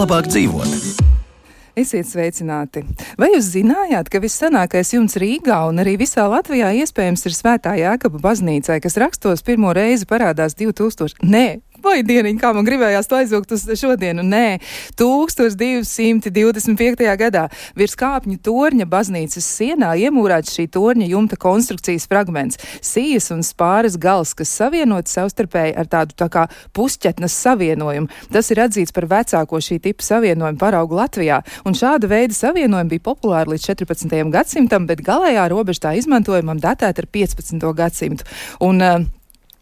Labāk dzīvot. Esiet sveicināti! Vai jūs zinājāt, ka vissenākais jumts Rīgā un arī visā Latvijā iespējams ir Svētā Jēkaba baznīcai, kas rakstos pirmo reizi parādās 2000... Vai dieniņ, kā man gribējās to aizvilkt uz šodienu? 1225. gadā virs kāpņu torņa baznīcas sienā iemūrēts šī torņa jumta konstrukcijas fragments, sijas un spāres gals, kas savienot savstarpēji ar tādu tā kā pusķetnes savienojumu. Tas ir atzīts par vecāko šī tipa savienojumu paraugu Latvijā, un šāda veida savienojumi bija populāri līdz 14. gadsimtam, bet galējā robeža tā izmantojumam datēta ar 15. gadsimtu. Un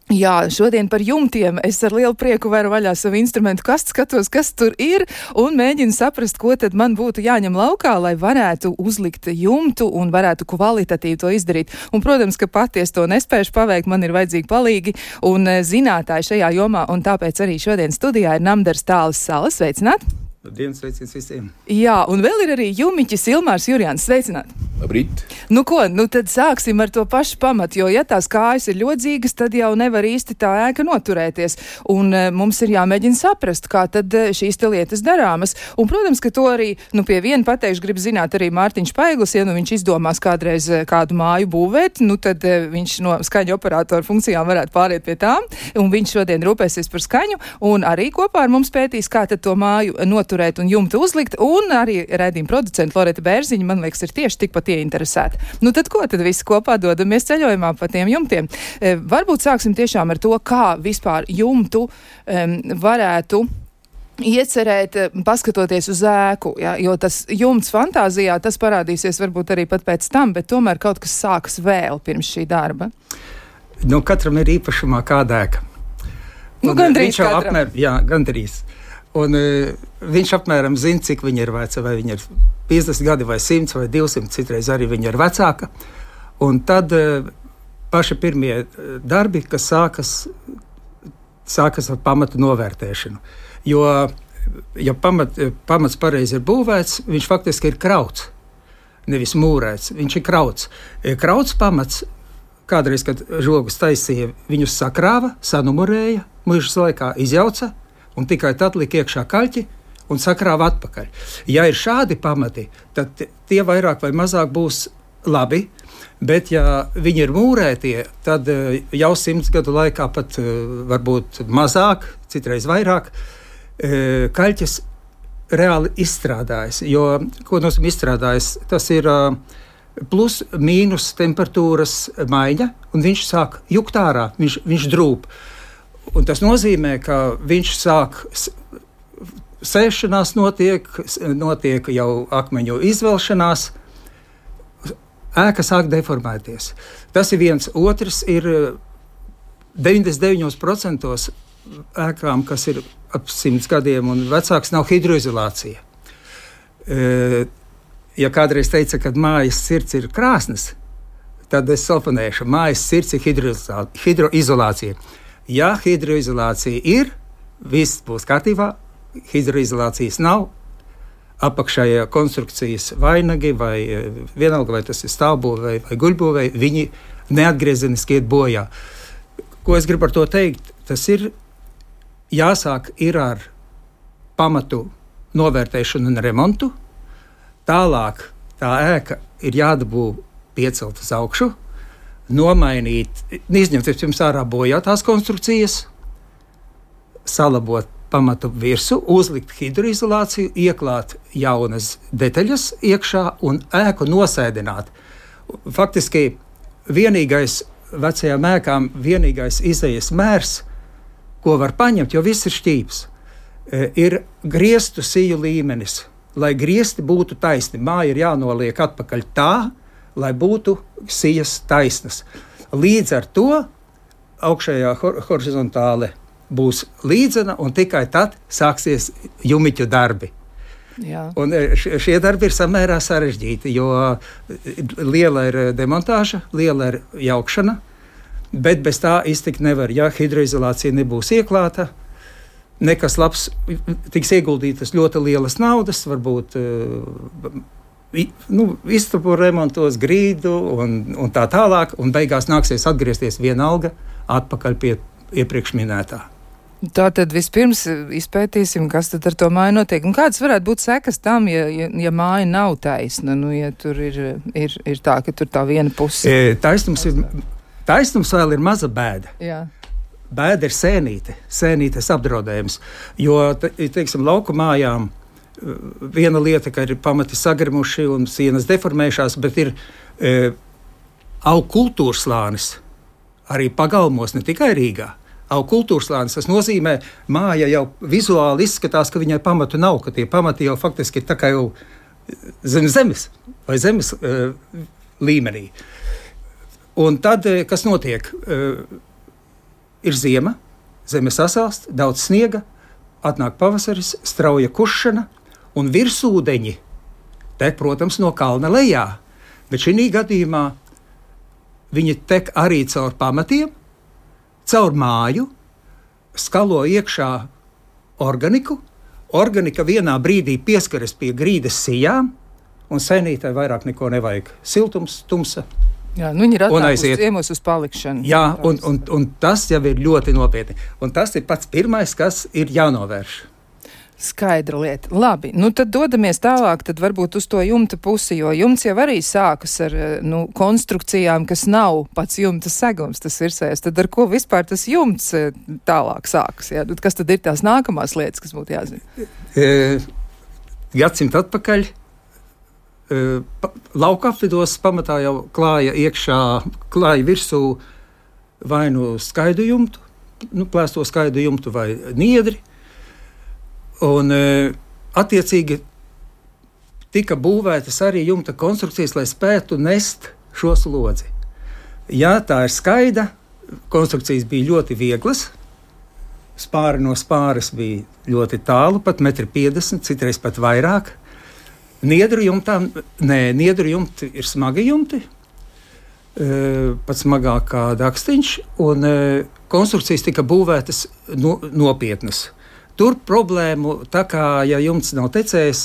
jā, šodien par jumtiem es ar lielu prieku varu vaļā savu instrumentu kastu, skatos, kas tur ir, un mēģinu saprast, ko tad man būtu jāņem laukā, lai varētu uzlikt jumtu un varētu kvalitatīvi to izdarīt. Un, protams, ka pati es to nespēšu paveikt, man ir vajadzīgi palīgi un zinātāji šajā jomā, un tāpēc arī šodien studijā ir Namdars Tāles Salas. Sveicināt! Labdien, sveiciens visiem! Jā, un vēl ir arī jumiķis Ilmārs Jurjāns. Sveicināt! Labrīt! Nu ko, tad sāksim ar to pašu pamatu, jo ja tās kājas ir ļodzīgas, tad jau nevar īsti tā ēka noturēties. Un mums ir jāmēģina saprast, kā tad šīs te lietas darāmas. Un, protams, ka to arī, pie viena pateikšu, grib zināt arī Mārtiņš Paiglis, ja viņš izdomās kādreiz kādu māju būvēt, tad viņš no skaņu operātora funkcijām varētu pāriet pie tām, un viņš šodien rūpēsies par skaņu, un arī kopā ar mums pētīs, kā tad to māju noturēt un jumtu uzlikt, un arī raidījuma producenta Loreta Bērziņa, man liekas, ir tieši tikpat ieinteresēti. Tad ko? Tad visi kopā dodamies ceļojumā pa tiem jumtiem. Varbūt sāksim tiešām ar to, kā vispār jumtu varētu iecerēt, paskatoties uz ēku, ja? Jo tas jumts fantāzijā, tas parādīsies varbūt arī pat pēc tam, bet tomēr kaut kas sākas vēl pirms šī darba. Katram ir īpašumā kāda ēka. Gandrīz katram. Gandrīz. Un viņš apmēram zina, cik viņa ir veca, vai viņa ir 50 gadi, vai 100, vai 200, citreiz arī viņa ir vecāka. Un tad paši pirmie darbi, kas sākas ar pamatu novērtēšanu. Jo, ja pamats pareizi ir būvēts, viņš faktiski ir krauts, nevis mūrēts, viņš ir krauts. Krauts pamats, kādreiz, kad žogus taisīja, viņus sakrāva, sanumurēja, mūžas laikā izjauca, un tikai tad lika iekšā kaļķi un sakrāva atpakaļ. Ja ir šādi pamati, tad tie vairāk vai mazāk būs labi, bet ja viņi ir mūrētie, tad jau 100 gadu laikā pat varbūt mazāk, citreiz vairāk, kaļķis reāli izstrādājas. Jo, ko nozīmē izstrādājas? Tas ir plus mīnus temperatūras maiņa, un viņš sāk jukt ārā, viņš drūp. Un tas nozīmē, ka viņš sāk sēšanās notiek jau akmeņu izvelšanās, ēka sāk deformēties. Tas ir viens. Otrs ir 99% ēkām, kas ir ap 100 gadiem un vecāks, nav hidroizolācija. Ja kādreiz teica, ka mājas sirds ir krāsnes, tad es salfonēšu, mājas sirds ir hidroizolācija. Ja hidroizolācija ir, viss būs kārtībā, hidroizolācijas nav, apakšējā konstrukcijas vainagi vai vienalga, vai tas ir stāvbūvē vai guļbūvē, viņi neatgriezeniski iet bojā. Ko es gribu ar to teikt? Tas ir jāsāk ir ar pamatu novērtēšanu un remontu, tālāk tā ēka ir jādabū piecelt uz augšu, nomainīt, izņemt pirms ārā bojātās konstrukcijas, salabot pamatu virsmu, uzlikt hidroizolāciju, ieklāt jaunas detaļas iekšā un ēku nosēdināt. Faktiski vienīgais vecajām ēkām, vienīgais izejas mērs, ko var paņemt, jo viss ir šķīps, ir griestu siju līmenis. Lai griesti būtu taisni, māja ir jānoliek atpakaļ tā, lai būtu sijas taisnas. Līdz ar to augšējā horizontāle būs līdzena, un tikai tad sāksies jumiķu darbi. Jā. Un šie darbi ir samērā sarežģīti, jo liela ir demontāža, liela ir jaukšana, Bet bez tā iztikt nevar. Ja hidroizolācija nebūs ieklāta, nekas labs, tiks ieguldītas ļoti lielas naudas, varbūt istabu remontos, grīdu un tā tālāk, un beigās nāksies atgriezties vienalga atpakaļ pie iepriekš minētā. Tātad vispirms izpētīsim, kas tad ar to māju notiek. Un kādas varētu būt sekas tam, ja māja nav taisna? Ja tur ir tā, ka tur tā viena puse. Taisnums vēl ir maza bēda. Jā. Bēda ir sēnītes apdraudējums. Jo, teiksim, lauku mājām viena lieta, ka ir pamati sagrimuši un sienas deformējušās, bet ir augu kultūras slānis arī pagalmos, ne tikai Rīgā. Augu kultūras slānis, tas nozīmē, māja jau vizuāli izskatās, ka viņai pamatu nav, ka tie pamati jau faktiski ir tā kā jau zem zemes vai zemes līmenī. Un tad, kas notiek? Ir ziema, zeme sasalst, daudz sniega, atnāk pavasaris, strauja kušana un virsūdeņi tek, protams, no kalna lejā. Bet šī gadījumā viņi tek arī caur pamatiem, caur māju, skalo iekšā organiku. Organika vienā brīdī pieskaras pie grīdas sijām, un sēnītē vairāk neko nevajag. Siltums, tumsa. Jā, viņi ir atnākusi ciemos uz palikšanu. Jā, un tas jau ir ļoti nopietni. Un tas ir pats pirmais, kas ir jānovērš. Skaidra lieta. Labi, tad dodamies tālāk, tad varbūt uz to jumta pusi, jo jumts jau arī sākas ar konstrukcijām, kas nav pats jumta segums, tas virsējais. Tad ar ko vispār tas jumts tālāk sākas? Jā? Kas tad ir tās nākamās lietas, kas būtu jāzina? Gadsimtu atpakaļ lauka apvidos pamatā jau klāja virsū vai skaidu jumtu, plēsto skaidu jumtu vai niedri. Un attiecīgi tika būvētas arī jumta konstrukcijas, lai spētu nest šo slodzi. Ja tā ir skaida, konstrukcijas bija ļoti vieglas, spāri no spāres bija ļoti tālu, pat 1,50 m, citreiz pat vairāk. Niedru jumti ir smagi jumti, pat smagāk kā dakstiņš, un konstrukcijas tika būvētas nopietnas. Tur problēmu, tā kā ja jumts nav tecējis,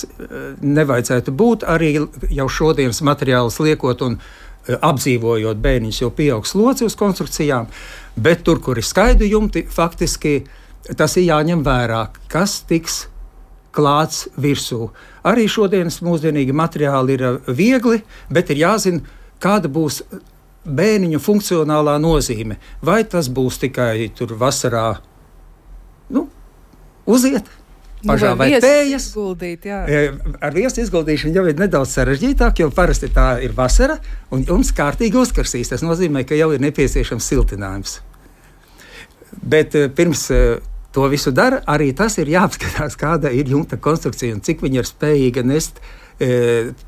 nevajadzētu būt arī jau šodienas materiālus liekot un apdzīvojot bēniņus, jo pieaug slodzi uz konstrukcijām, bet tur, kur ir skaidu jumti, faktiski tas ir jāņem vērā, kas tiks klāts virsū. Arī šodienas mūsdienīgi materiāli ir viegli, bet ir jāzina, kāda būs bēniņu funkcionālā nozīme. Vai tas būs tikai tur vasarā, uziet, pašā vai pējas. Ar viesu izguldīšanu jau ir nedaudz sarežģītāk, jo parasti tā ir vasara, un jums kārtīgi uzkarsīs. Tas nozīmē, ka jau ir nepieciešams siltinājums. Bet pirms to visu dara, arī tas ir jāapskatās, kāda ir jumta konstrukcija un cik viņa ir spējīga nest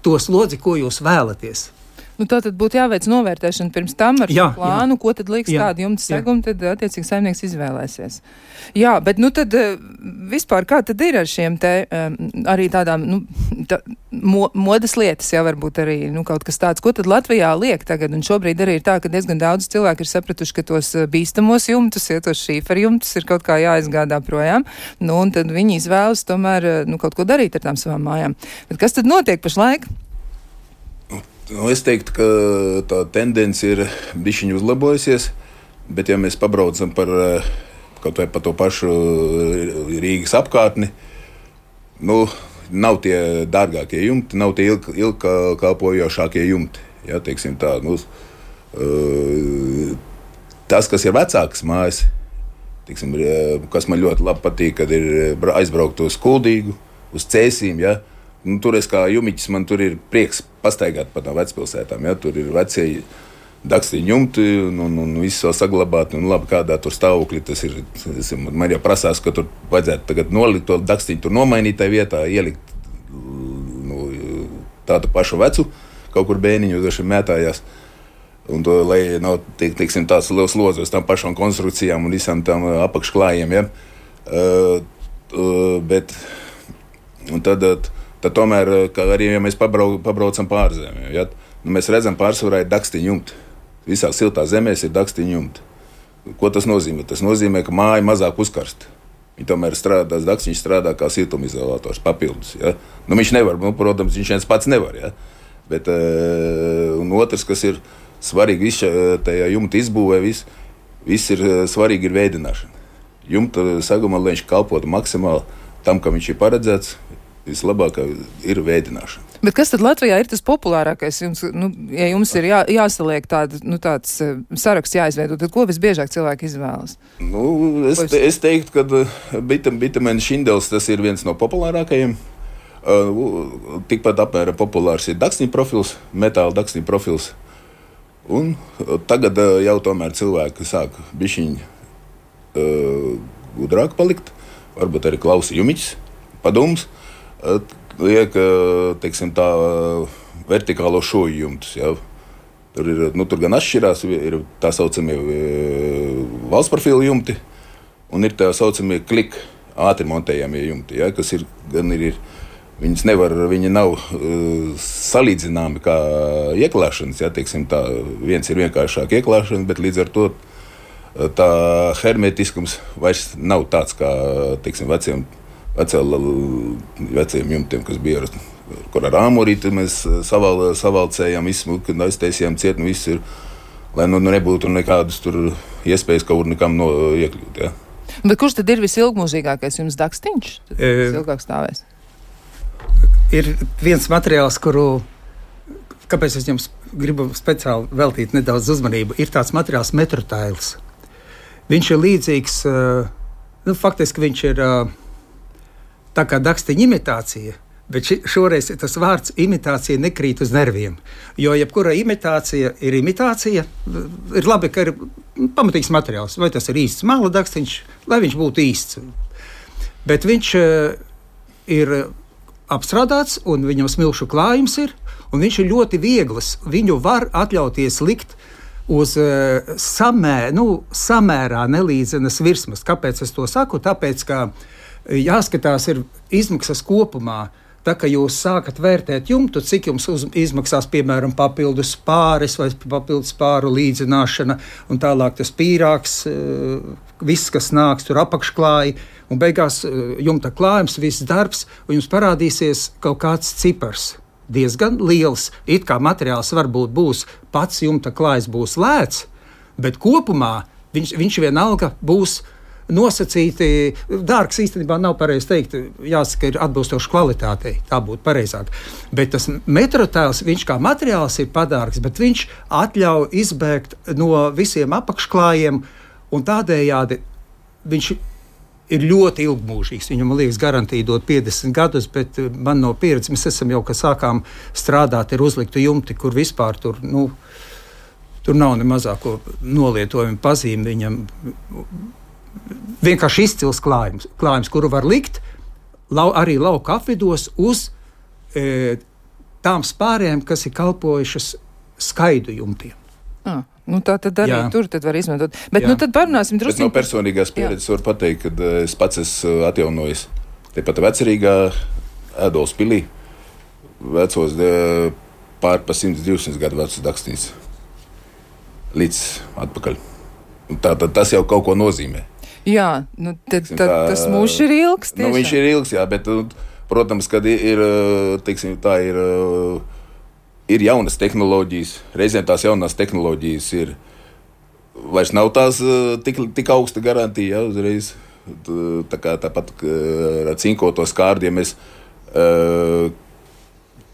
to slodzi, ko jūs vēlaties. Tātad būtu jāveic novērtēšana pirms tam ar šo plānu, ko tad liks tādu jumta segumu, tad attiecīgi saimnieks izvēlēsies. Jā, bet tad vispār kā tad ir ar šiem te arī tādām modas lietas, varbūt arī kaut kas tāds, ko tad Latvijā liek tagad, un šobrīd arī ir tā, ka diezgan daudz cilvēki ir sapratuši, ka tos bīstamos jumtus, tos šīferu jumtus ir kaut kā jāizgādā projām, un tad viņi izvēlas tomēr kaut ko darīt ar tām savām mājām. Bet kas tad notiek pašlaik? Es teiktu, ka tā tendence ir bišķiņi uzlabojusies, bet ja mēs pabraucam kaut vai pa to pašu Rīgas apkārtni, nav tie dārgākie jumti, nav tie ilgkalpojošākie jumti. Ja, teiksim tā, tas, kas ir vecākas mājas, teiksim, kas man ļoti labi patīk, kad ir aizbraukt uz Kuldīgu, uz Cēsīm, ja. Tur es kā jumiķis, man tur ir prieks pastaigāt pa tām vecpilsētām. Ja? Tur ir vecie dakstiņu jumti un viss vēl saglabāt. Un labi, kādā tur stāvokļi tas ir. Man jau prasās, ka tur vajadzētu tagad nolikt to dakstiņu, tur nomainīt tajā vietā, ielikt tādu pašu vecu, kaut kur bēniņu uz šiem mētājās. Un to, lai nav, teiksim, tāds liels slodzi uz tām pašām konstrukcijām un visām tām apakšklājiem. Ja? Un tad tomēr, arī ja mēs pabraucam pārzemē, ja? Mēs redzam pārsvarā ir dakstiņu jumti. Visās siltās zemēs ir dakstiņu jumti. Ko tas nozīmē? Tas nozīmē, ka māja mazāk uzkarst. Viņa tomēr strādā, dakstiņš strādā kā siltumizolātors papildus. Ja? Nu, viņš nevar, protams, viņš viens pats nevar. Ja? Bet, un otrs, kas ir svarīgi, tajā jumta izbūvē, viss ir svarīgi ir veidināšana. Jumta sagumā, lai viņš kalpotu maksimāli tam, kam viņš ir paredzēts, vislabākā ir veidināšana. Bet kas tad Latvijā ir tas populārākais? Ja jums ir jāsaliek tāds saraksts jāizveido, tad ko visbiežāk cilvēki izvēlas? Es teiktu, ka bitamēna šindels tas ir viens no populārākajiem. Tikpat apmēram populārs ir dakstiņa profils, metāla dakstiņa profils. Un tagad jau tomēr cilvēki sāk bišķiņi gudrāk palikt, varbūt arī klausa jumiķis, padomus. Liek, teiksim, tā vertikālo šoju jumtus. Ja. Tur gan atšķirās, ir tā saucamie valsts profila jumti, un ir tā saucamie klik ātri montējamie jumti, ja, kas ir, viņi nav salīdzināmi kā ieklāšanas. Ja, teiksim, tā, viens ir vienkāršāk ieklāšana, bet līdz ar to tā hermetiskums vairs nav tāds kā, teiksim, veciem jumtiem, kas bija kur ar āmurīti mēs savalcējām, izsmuki, aiztaisījām ciet, un viss ir, lai nebūtu nekādas tur iespējas kaut nekam iekļūt. Ja. Bet kurš tad ir visilgmūžīgākais jums dakstiņš? Ilgāk stāvēs? Ir viens materiāls, kāpēc es jums gribu speciāli veltīt nedaudz uzmanību, ir tāds materiāls metrotails. Viņš ir līdzīgs, faktiski viņš ir tā kā dakstiņa imitācija, bet šoreiz tas vārds imitācija nekrīt uz nerviem. Jo jebkura imitācija, ir labi, ka ir pamatīgs materiāls. Vai tas ir īsts māla dakstiņš, lai viņš būtu īsts. Bet viņš ir apstrādāts, un viņam smilšu klājums ir, un viņš ir ļoti viegls. Viņu var atļauties likt uz samērā nelīdzenas virsmas. Kāpēc es to saku? Tāpēc, ka jāskatās ir izmaksas kopumā. Tā, ka jūs sākat vērtēt jumtu, cik jums izmaksās, piemēram, papildus pāris vai papildus pāru līdzināšana, un tālāk tas pīrāgs, viss, kas nāks, tur apakšklāji, un beigās jumta klājums, viss darbs, un jums parādīsies kaut kāds cipars. Diezgan liels. It kā materiāls varbūt būs, pats jumta klājs būs lēts, bet kopumā viņš vienalga būs nosacīti, dārgs īstenībā nav pareizi teikt, jāsaka, ir atbilstoši kvalitātei, tā būtu pareizāk. Bet tas metrotails, viņš kā materiāls ir padārgs, bet viņš atļauj izbēgt no visiem apakšklājiem, un tādējādi viņš ir ļoti ilgmūžīgs. Viņam, man liekas, garantija dot 50 gadus, bet man no pieredzes, mēs esam jau, kad sākām strādāt, ir uzliktu jumti, kur vispār tur nav ne mazāko nolietojumu pazīmi viņam. Vienkārši izcils klājums, kuru var likt arī lauka apvidos uz tām spārēm, kas ir kalpojušas skaidu jumtiem. Tā tad arī tur tad var izmantot. Bet tad parunāsim drusku. No personīgās pieredzes var pateikt, ka es pats esmu atjaunojis tepat Vecerīgā, Ēdolas pilī, vecos pār pa 100-200 gadu vecus dakstiņus līdz atpakaļ. Tātad tas jau kaut ko nozīmē. Jā, tas mūžs ir ilgs. Tiešām. Viņš ir ilgs, jā, bet, protams, kad ir jaunas tehnoloģijas, reizēm tās jaunās tehnoloģijas vairs nav tās tik augsta garantija, jā, uzreiz. Tāpat ar cinkoto skārdi, ja mēs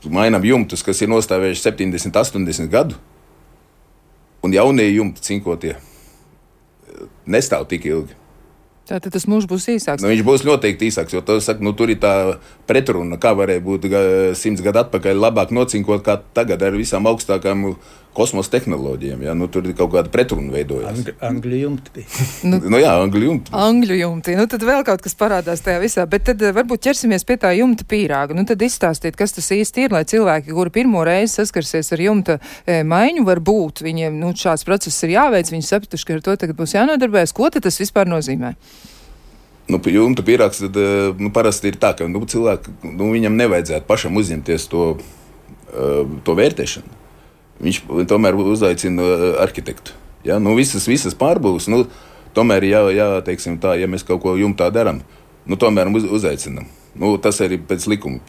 mainām jumtus, kas ir nostāvējuši 70, 80 gadu, un jaunie jumti cinkotie nestāv tik ilgi. Tātad tas mūžs būs īsāks. Viņš būs noteikti īsāks, jo tur ir tā pretruna, kā varēja būt 100 gadu atpakaļ labāk nocinkot kā tagad ar visām augstākām kosmosa tehnoloģijām. Ja? Tur ir kaut kāda pretruna veidojās. Angļu jumti bija. Angļu jumti. Angļu jumti. Tad vēl kaut kas parādās tajā visā. Bet tad varbūt ķersimies pie tā jumta pīrāga. Tad izstāstiet, kas tas īsti ir, lai cilvēki, kuri pirmo reizi saskarsies ar jumta maiņu, varbūt viņiem šāds process ir jāveic, viņi sapratuši, ka ar to tagad būs jānodarbējas. Ko tad tas vispār nozīmē? Jumta pīrāgs tad, parasti ir tā, ka cilvēki, viņam nevajadzētu pašam uzņemties to vērtēšanu. Viņš tomēr uzaicina arhitektu. Ja, nu, visas pārbūves, nu, tomēr, teiksim tā, ja mēs kaut ko jumtā darām, nu, tomēr uzaicinām. Nu, tas arī pēc likuma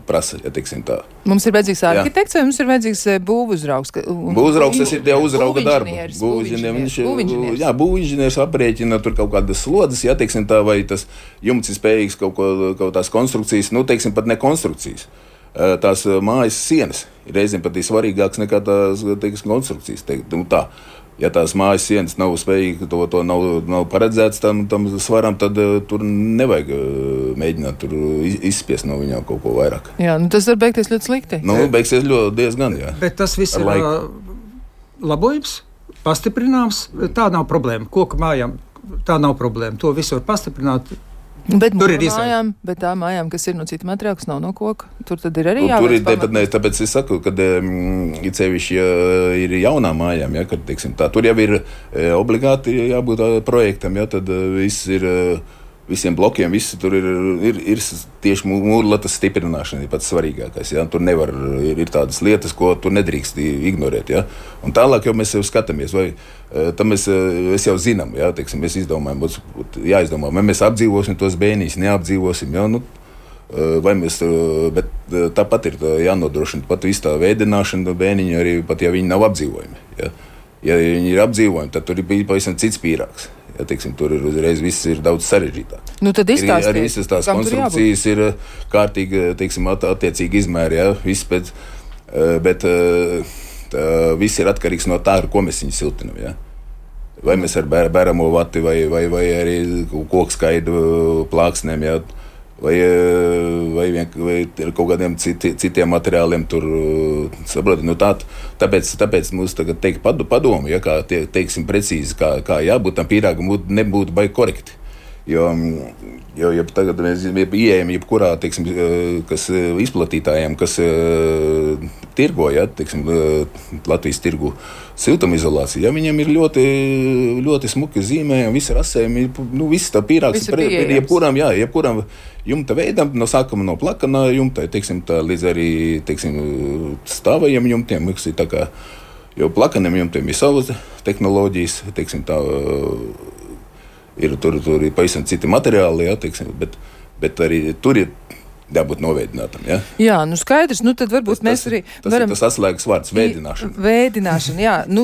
prasa, ja teiksim tā. Mums ir vajadzīgs arhitekts vai mums ir vajadzīgs būvuzraugs? Būvuzraugs, tas ir jau uzrauga darba. Būvinženieris aprēķina tur kaut kādas slodzes, ja teiksim tā, vai tas jumts ir spējīgs kaut tās konstrukcijas, nu, teiksim pat ne konstrukcijas. Tās mājas sienas ir reizēm pat svarīgākas nekā tās, teiksim, konstrukcijas. Nu, tā. Ja tās mājas sienas nav spējīgas, to nav paredzēts tam svaram, tad tur nevajag mēģināt tur izspiest no viņām kaut ko vairāk. Jā, nu tas var beigties ļoti slikti. Nu, beigsies ļoti diezgan, jā. Bet tas viss ir labojums, pastiprināms, tā nav problēma. Koku mājām tā nav problēma, to visu var pastiprināt. Bet tā mājām, kas ir no cita materiāla, kas nav no koka, tur tad ir arī jāveic pamatnes. Tāpēc es saku, kad ir sevišķi ir jaunām mājām, ja, kad, teiksim, tā, tur jau ir obligāti jābūt projektam, ja, tad viss ir, visiem blokiem, visi tur ir tieši mūrlatas stiprināšana, ir pats svarīgākais, ja, tur nevar, ir tādas lietas, ko tur nedrīkst ignorēt, ja, un tālāk jau mēs jau skatāmies, vai tam mēs jau zinām, ja, teiksim, mēs jāizdomā, vai mēs apdzīvosim tos bēnīs, neapdzīvosim, ja, nu, vai mēs, bet tāpat ir jānodrošina pat visu tā veidināšana bēniņu, arī pat ja viņi nav apdzīvojumi, ja. Ja viņi ir apdzīvojumi, tad tur ir pavisam cits pīrāgs. Ja, teiksim, tur ir uzreiz viss ir daudz sarežģītāk. Nu, tad izstāstiet, arī visas tās konstrukcijas ir kārtīgi, teiksim, attiecīgi izmēri, ja, viss pēc, bet viss ir atkarīgs no tā, ar ko mēs viņu siltinam, ja. Vai mēs ar bēramo vati, vai arī kokskaidu plāksnēm, ja, vai ar kaut kādiem citiem materiāliem tur, saproti, nu tāpēc mums tagad teikt padomu, ja, kā teiksim precīzi, kā jābūt tam pīrāgam, nebūtu baigi korekti. Jo tagad mēs ieejam jebkurā, teiksim, kas izplatītājiem, kas tirgo, ja, teiksim, Latvijas tirgu siltumizolāciju, ja, viņiem ir ļoti, ļoti smuki zīmējumi, visi rasējumi, nu, viss tā pīrāgs ir jebkuram jumta veidam, no sākuma no plakana jumta, teiksim, tā līdz arī, teiksim, stāvajiem jumtiem, tā kā, jo plakaniem jumtiem ir savas tehnoloģijas, teiksim, tā, ir tur ir pavisam citi materiāli, ja, teiksim, bet arī tur ir jābūt noveidinātam, ja? Jā, nu skaidrs, nu tad varbūt mēs arī varam... Tas ir tas atslēgas vārds, veidināšana. Veidināšana, jā. Nu,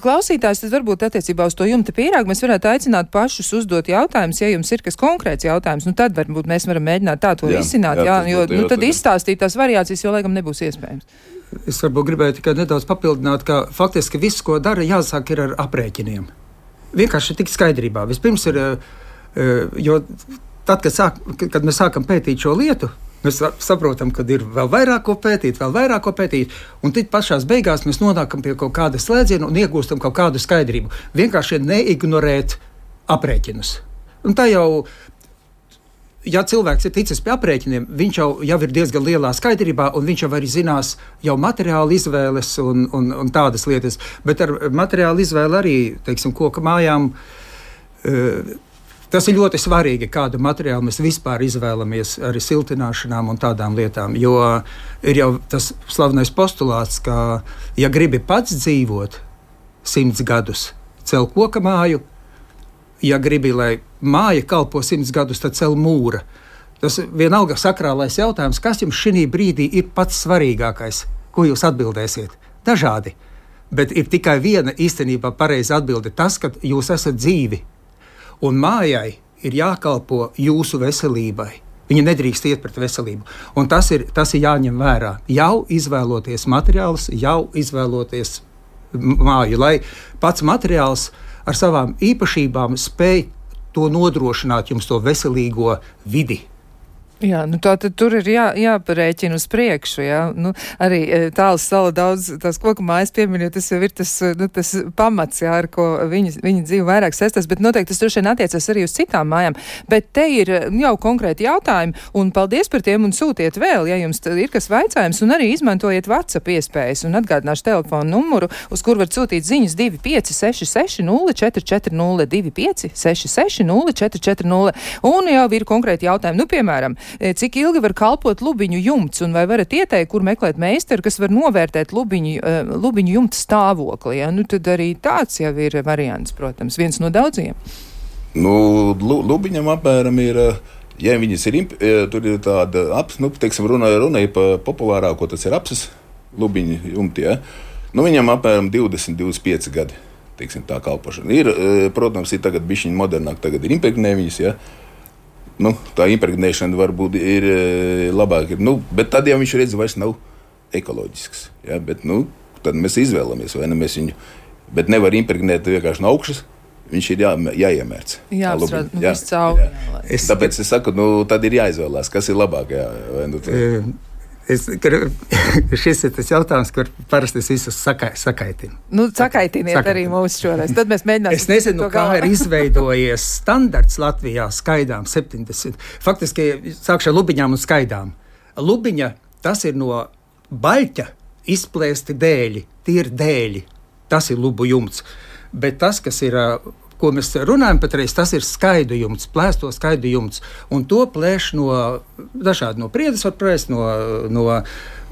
klausītājs, tad varbūt attiecībā uz to jumta pīrāgu mēs varētu aicināt pašus uzdot jautājumus, ja jums ir kas konkrēts jautājums, nu tad varbūt mēs varam mēģināt tā to risināt, jo tad izstāstīt tās variācijas, jo laikam nebūs iespējams. Es varbūt gribēju tikai nedaudz papildināt, ka faktiski viss, ko dara, jāsāk ir ar aprēķiniem. Vienkārši tik skaidrībā. Vispirms ir, jo tad, kad mēs sākam pētīt šo lietu, mēs saprotam, ka ir vēl vairāk ko pētīt, un tad pašās beigās mēs nonākam pie kaut kāda slēdziena un iegūstam kaut kādu skaidrību. Vienkārši neignorēt aprēķinus. Un tā jau, ja cilvēks ir ticis pie aprēķiniem, viņš jau ir diezgan lielā skaidrībā, un viņš jau arī zinās jau materiālu izvēles un tādas lietas. Bet ar materiālu izvēli arī, teiksim, koka mājām, tas ir ļoti svarīgi, kādu materiālu mēs vispār izvēlamies arī siltināšanām un tādām lietām. Jo ir jau tas slavenais postulāts, ka, ja gribi pats dzīvot 100 gadus, cel koka māju, ja gribi, lai māja kalpo 100 gadus, tad cel mūra. Tas vienalga sakrālais jautājums, kas jums šī brīdī ir pats svarīgākais, ko jūs atbildēsiet? Dažādi, bet ir tikai viena īstenībā pareiza atbilde - tas, ka jūs esat dzīvi. Un mājai ir jākalpo jūsu veselībai. Viņa nedrīkst iet pret veselību. Un tas ir jāņem vērā. Jau izvēloties materiālus, jau izvēloties māju, lai pats materiāls ar savām īpašībām spēj to nodrošināt jums to veselīgo vidi. Jā, nu tā tad tur ir jāparēķina uz priekšu, jā. Nu, arī Tāls sala daudz tās koku mājas pieminot, tas jau ir tas pamats, jā, ar ko viņi dzīvo vairāk saistās, bet noteikti tas droši vien attiecas arī uz citām mājām. Bet te ir jau konkrēti jautājumi, un paldies par tiem, un sūtiet vēl, ja jums ir kas vaicājums, un arī izmantojiet WhatsApp iespējas, un atgādināšu telefonu numuru, uz kur var sūtīt ziņas 2566 0440 2566 0440, un jau ir konkrēti jautājumi, nu, piemēram, Cik ilgi var kalpot lubiņu jumts, un vai varat ieteikt, kur meklēt meistaru, kas var novērtēt lubiņu jumta stāvokli? Ja? Nu, tad arī tāds jau ir variants, protams, viens no daudziem. Nu, lubiņam apmēram ir, ja viņas ir, tur ir tāda teiksim, runāja par populārāko, tas ir apsis lubiņu jumti, ja? Nu, viņam apmēram 20-25 gadi. Teiksim, tā kalpošana. Ir, protams, ir tagad bišķiņi modernāk, tagad ir impregnē viņas, ja? Nu, tā impregnēšana varbūt ir labāk, nu, bet tad jau viņš redz vairs nav ekoloģisks, ja? Bet, nu, tad mēs izvēlamies, vai ne mēs viņu, bet nevar impregnēt vienkārši no augšas, viņš ir jāiemērc. Jāapstrād, viss cauri. Tāpēc es saku, nu, tad ir jāizvēlās, kas ir labāk, jā, vai nu tā. Šis ir tas jautājums, kur parasti es visus sakaitinu. Nu, sakaitiniet arī mūs šoreiz. Tad mēs mēģināsim. Es nezinu, kā ir izveidojies standarts Latvijā skaidām 70. Faktiski sākšu ar lubiņām un skaidām. Lubiņa, tas ir no baļķa izplēsti dēļi, tie ir dēļi. Tas ir lubu jumts. Bet tas, kas ir, ko mēs runājam patreiz, tas ir skaidu jumts, plēsto skaidu jumts. Un to plēš no priedes var plēst, no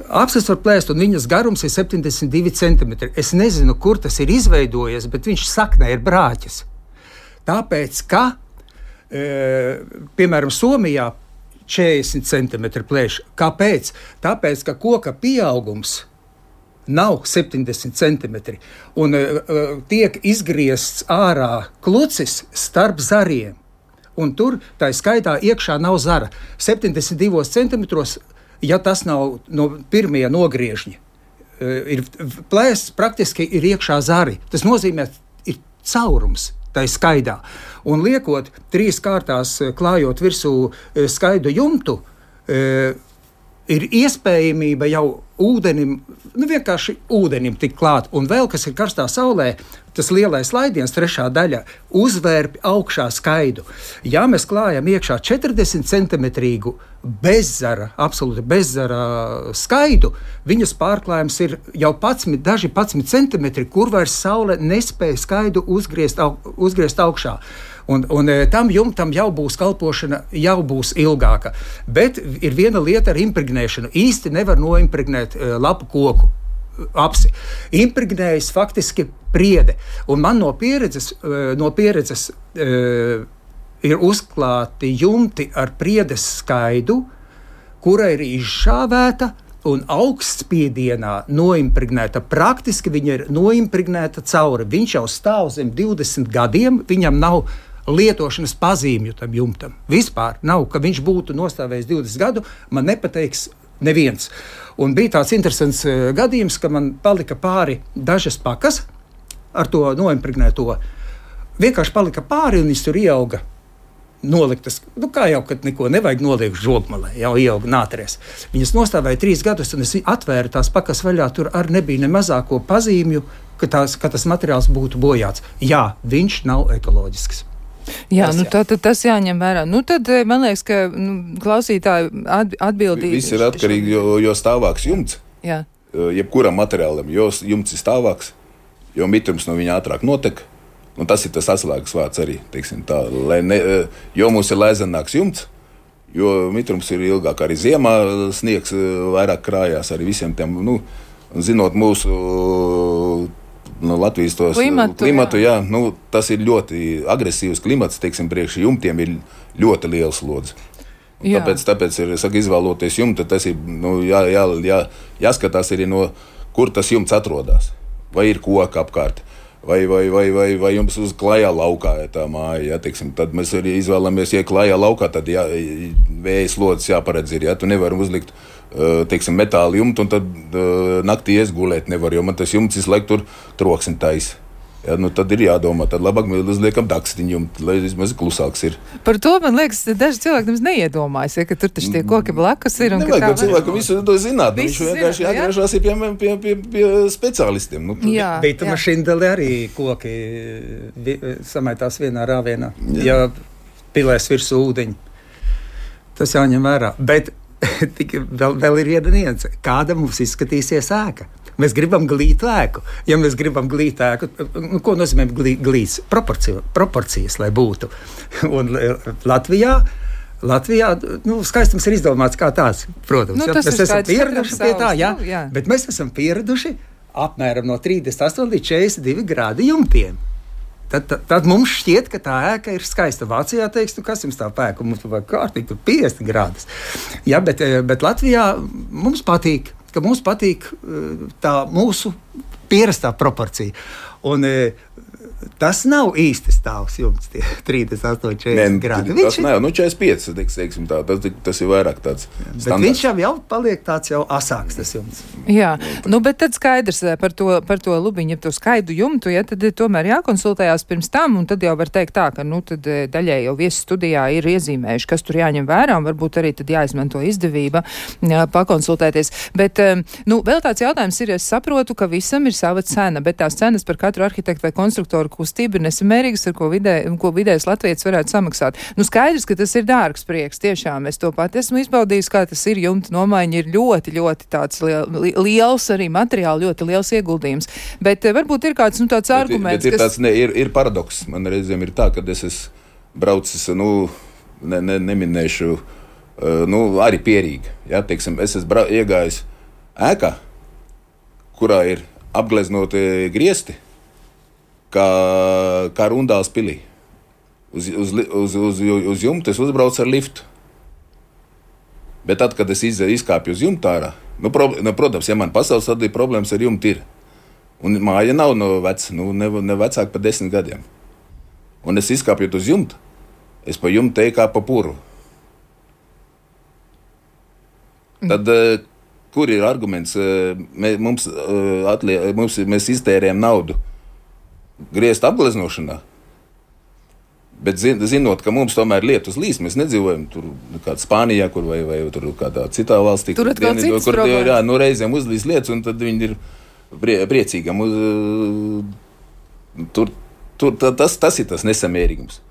apses var plēst, un viņas garums ir 72 cm. Es nezinu, kur tas ir izveidojies, bet viņš saknē ir brāķis. Tāpēc, ka, piemēram, Somijā 40 cm plēš. Kāpēc? Tāpēc, ka koka pieaugums nav 70 cm, un tiek izgriezts ārā klucis starp zariem, un tur tā skaidā iekšā nav zara. 72 cm, ja tas nav no pirmie nogriežņi, ir plēsts, praktiski ir iekšā zari. Tas nozīmē, ir caurums tai skaidā. Un liekot 3 kārtās, klājot virsū skaidu jumtu, ir iespējamība jau ūdenim, vienkārši ūdenim tik klāt. Un vēl, kas ir karstā saulē, tas lielais laidiens, 3. daļa, uzvērp augšā skaidu. Ja mēs klājam iekšā 40 centimetrīgu bezzara, absolūti bezzara skaidu, viņas pārklājums ir jau 11 centimetri, kur vairs saule nespēja skaidu uzgriezt augšā. Un tam jumtam jau būs kalpošana, jau būs ilgāka. Bet ir viena lieta ar impregnēšanu. Īsti nevar noimpregnēt lapu koku apsi. Impregnējas faktiski priede. Un man no pieredzes ir uzklāti jumti ar priedes skaidu, kura ir izšāvēta un augstspiedienā noimpregnēta. Praktiski viņa ir noimpregnēta cauri. Viņš jau stāv zem 20 gadiem, viņam nav lietošanas pazīmju tam jumtam. Vispār nav, ka viņš būtu nostāvējis 20 gadu, man nepateiks neviens. Un bija tāds interesants gadījums, ka man palika pāri dažas pakas ar to noimpregnēto. Vienkārši palika pāri un viņš tur ieauga noliktas, kā jau, kad neko nevajag noliekt žogmalē, jau ieauga nātries. Viņas nostāvēja 3 gadus, un es atvēru tās pakas vaļā, tur arī nebija ne mazāko pazīmju, ka tas materiāls būtu bojāts. Jā, viņš nav ekoloģisks. Jā, tas jāņem vērā. Tad man liekas, ka klausītāji atbildīgi. Viss ir atkarīgi, jo stāvāks jumts. Jā. Jebkuram materiālam, jo jumts ir stāvāks, jo mitrums no viņa ātrāk notek. Un tas ir tas atslēgas vārds arī, teiksim tā, jo mums ir lēzenāks jumts, jo mitrums ir ilgāk, arī ziemā sniegs vairāk krājās arī visiem tiem, zinot mūsu Latvijas klimatu, jā, tas ir ļoti agresīvs klimats, teiksim, priekš jumtiem ir ļoti liels slodzi. Tāpēc ir, izvēloties jumtu, tas ir, jāskatās arī kur tas jumts atrodas, vai ir koka apkārt. Vai jums uz klajā laukā ir tā māja, ja, teiksim, tad mēs arī izvēlamies, ja klajā laukā, tad vēja slodzes jāparedz ir, ja, tu nevari uzlikt, teiksim, metāla jumtu, un tad naktī iesgulēt nevar, jo man tas jumts visu laiku tur troksni taisa. Ja, tad ir jādomā, tad labāk mēs uzliekam dakstiņu, lai vismaz klusāks ir. Par to, man liekas, daži cilvēki nemaz neiedomājas, ja, ka tur taču tie koki blakus ir. Nevajag, ka cilvēku visu to zināt. Viņš vienkārši jāgriežās pie speciālistiem. Bet mašīndali arī koki samaitās vienā rāvienā, ja pilēs virsū ūdeņi. Tas jāņem vērā. Bet vēl ir viena nianse. Kāda mums izskatīsies ēka? Mēs gribam glītu ēku. Ja mēs gribam glītu ēku, ko nozīmē glīts? Proporcijas, lai būtu. Un Latvijā Latvijā skaistums ir izdomāts kā tāds, protams. Tas mēs esam pieraduši pie tā, jā. Bet mēs esam pieraduši apmēram no 38 līdz 42 grādi jumtiem. Tad mums šķiet, ka tā ēka ir skaista. Vācijā teiks, kas jums tā pēka, mums vajag kārtīgi, tur 50 grādus. Jā, bet Latvijā mums patīk tā mūsu pierastā proporcija. Un tas nav īsti stāvs jumts, tie 38 grādi. Tas nav, 45, teiksim tā, tas ir vairāk tāds standarts. Bet viņš jau paliek tāds jau asāks, tas jumts. Jā, bet tad skaidrs par to lubiņu, to skaidu jumtu, ja, tad tomēr jākonsultējās pirms tam, un tad jau var teikt tā, ka, tad daļai jau viesi studijā ir iezīmējuši, kas tur jāņem vērā, un varbūt arī tad jāizmanto izdevība pakonsultēties. Bet, vēl tāds jautājums ir, es saprotu, ka visam ir sava cena, bet tās cenas par katru arhitektu vai konstruktoru kustība ir nesamērīgas, ar ko vidējs latvietis varētu samaksāt. Skaidrs, ka tas ir dārgs prieks, tiešām. Es to pat esmu izbaudījis, kā tas ir. Jumta nomaiņa ir ļoti, ļoti tāds liels, arī materiāli ļoti liels ieguldījums. Bet varbūt ir kāds tāds arguments, kas... Ir paradoks. Man reizēm ir tā, kad es esmu braucis, neminēšu, arī pierīgi. Ja, teiksim, es esmu iegājis ēkā, kurā ir apgleznoti griesti, kā Rundāls pilī. Uz jumta es uzbraucu ar liftu. Bet tad, kad es izkāpju uz jumta ārā, protams, ja man pasaules tad ir problēmas ar jumtu ir. Un māja nav ne vecāka par 10 gadiem. Un es izkāpju uz jumta, es pa jumtu teju kā pa puru. Tad, kur ir arguments? Mēs iztērējam naudu griezt apgleznošanā, bet zinot, ka mums tomēr lietus līs, mēs nedzīvojam tur kādā Spānijā, kur vai tur kādā citā valstī. Tur atkal citas problēmas. Jā, reizēm uzlīs lietus, un tad viņi ir priecīgi. Tas ir tas nesamērīgums.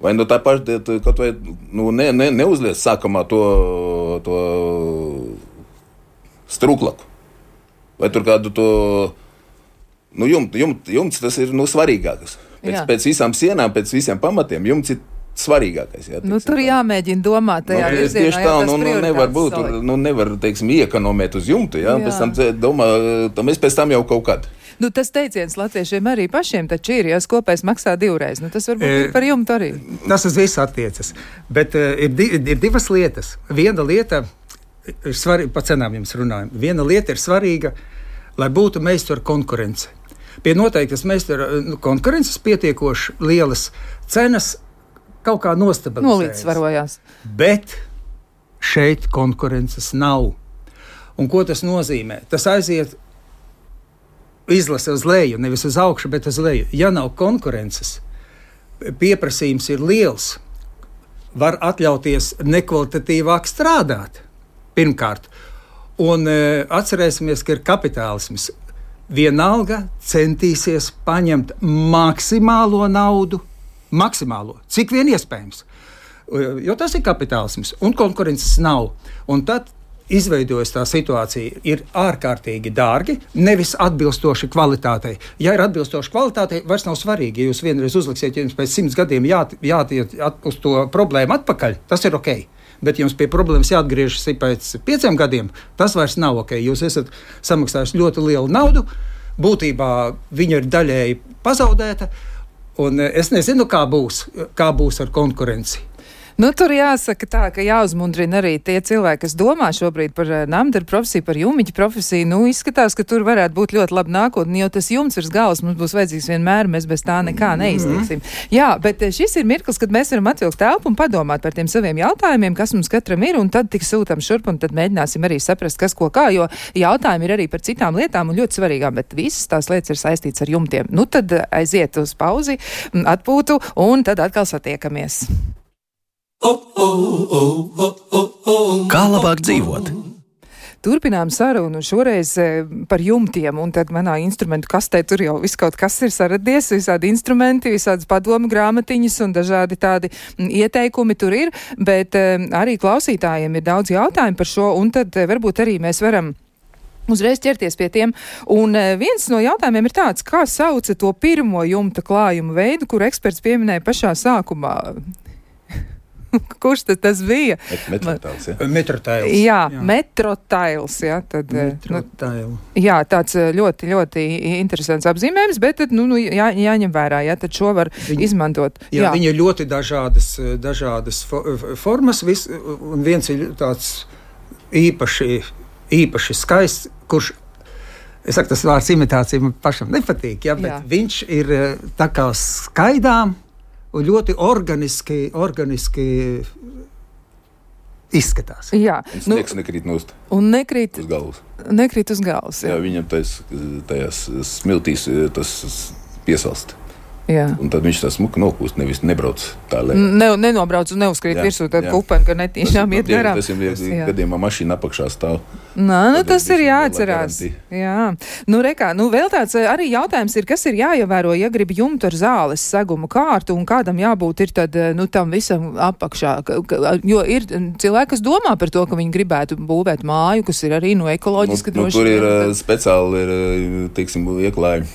Vai tā paša, kaut vai neuzlies sākumā to strūklaku, vai tur kādu to jumts tas ir svarīgākais. Pēc visām sienām, pēc visiem pamatiem jumts ir svarīgākais. Jā, tur jāmēģina domāt tajā virzienā. Tieši tā, nevar būt, nevar, iekonomēt uz jumtu, jā. Pēc tam domā, mēs pēc tam jau kaut kad. Tas teiciens latviešiem arī pašiem taču ir, ja kopējs maksā 2 reizes. Tas varbūt ir par jumtu arī. Tas uz visu attiecas. Bet ir divas lietas. Viena lieta ir svarīga, pa cenām jums runājam. Viena lieta ir svarīga, lai būtu meistaru konkurence. Pie noteiktas meistaru konkurences pietiekoši lielas cenas kaut kā nolīdzsvarojās. Bet šeit konkurences nav. Un ko tas nozīmē? Tas aiziet izlase uz leju, nevis uz augšu, bet uz leju. Ja nav konkurences, pieprasījums ir liels, var atļauties nekvalitatīvāk strādāt, pirmkārt. Un atcerēsimies, ka ir kapitālisms. Vienalga centīsies paņemt maksimālo naudu, cik vien iespējams. Jo tas ir kapitālisms, un konkurences nav. Un tad izveidojas tā situācija, ir ārkārtīgi dārgi, nevis atbilstoši kvalitātei. Ja ir atbilstoši kvalitātei, vairs nav svarīgi. Ja jūs vienreiz uzliksiet, ja jums pēc 100 gadiem jātiet uz to problēmu atpakaļ, tas ir ok. Bet jums pie problēmas jāatgriežas pēc 5 gadiem, tas vairs nav ok. Jūs esat samaksājuši ļoti lielu naudu, būtībā viņa ir daļēji pazaudēta, un es nezinu, kā būs ar konkurenci. Tur jāsaka tā, ka jāuzmundrina arī tie cilvēki, kas domā šobrīd par namdaru profesiju, par jumiķu profesiju. Izskatās, ka tur varētu būt ļoti laba nākotne, jo tas jumts virs galvas mums būs vajadzīgs vienmēr, mēs bez tā nekā neiztiksim. Jā, bet šis ir mirklis, kad mēs varam atvilkt telpu un padomāt par tiem saviem jautājumiem, kas mums katram ir, un tad tik sūtam šurp, un tad mēģināsim arī saprast, kas ko kā, jo jautājumi ir arī par citām lietām un ļoti svarīgām, bet visas tās lietas ir saistītas ar jumtiem. Tad aiziet uz pauzi, atpūtu, un tad atkal satiekamies. Kā labāk dzīvot? Turpinām sarunu šoreiz par jumtiem, un tad manā instrumentu kastē tur jau viss kaut kas ir saradies, visādi instrumenti, visādas padomu grāmatiņas un dažādi tādi ieteikumi tur ir, bet arī klausītājiem ir daudz jautājumu par šo, un tad varbūt arī mēs varam uzreiz ķerties pie tiem. Un viens no jautājumiem ir tāds, kā sauca to pirmo jumta klājumu veidu, kur eksperts pieminēja pašā sākumā. kurš tas bija? Metrotails, ja? Metrotails. Jā, Metrotails, jā. Tad, jā, tāds ļoti, ļoti interesants apzīmējums, bet tad, jāņem vērā, jā, tad šo var izmantot. Jā, viņi ir ļoti dažādas formas, un viens ir tāds īpaši skaists, kurš, es saku, tas vārds imitācija man pašam nepatīk, ja, bet viņš ir tā kā skaidām un ļoti organiski izskatās. Jā. Sniegs nekrīt nost. Un nekrīt uz galvas. Nekrīt uz galvas, jā. Jā, viņam tajās smiltīs tas piesalst. Jā. Un tad viņš tā smuka nokūst, nevis nebrauc tā lē. Nenobrauc un neuzkrīt virsū tādu kupeni, ka netīšām iet garām. Tas ir gadījumā mašīna apakšā stāv. Tas ir jāatcerās. Jā. Vēl tāds arī jautājums ir, kas ir jāievēro, ja grib jumtu ar zāles segumu kārtu un kādam jābūt ir tad, tam visam apakšā. Jo ir cilvēki, kas domā par to, ka viņi gribētu būvēt māju, kas ir arī ekoloģiski droši. Tur ir speciāli, teiksim, ieklāja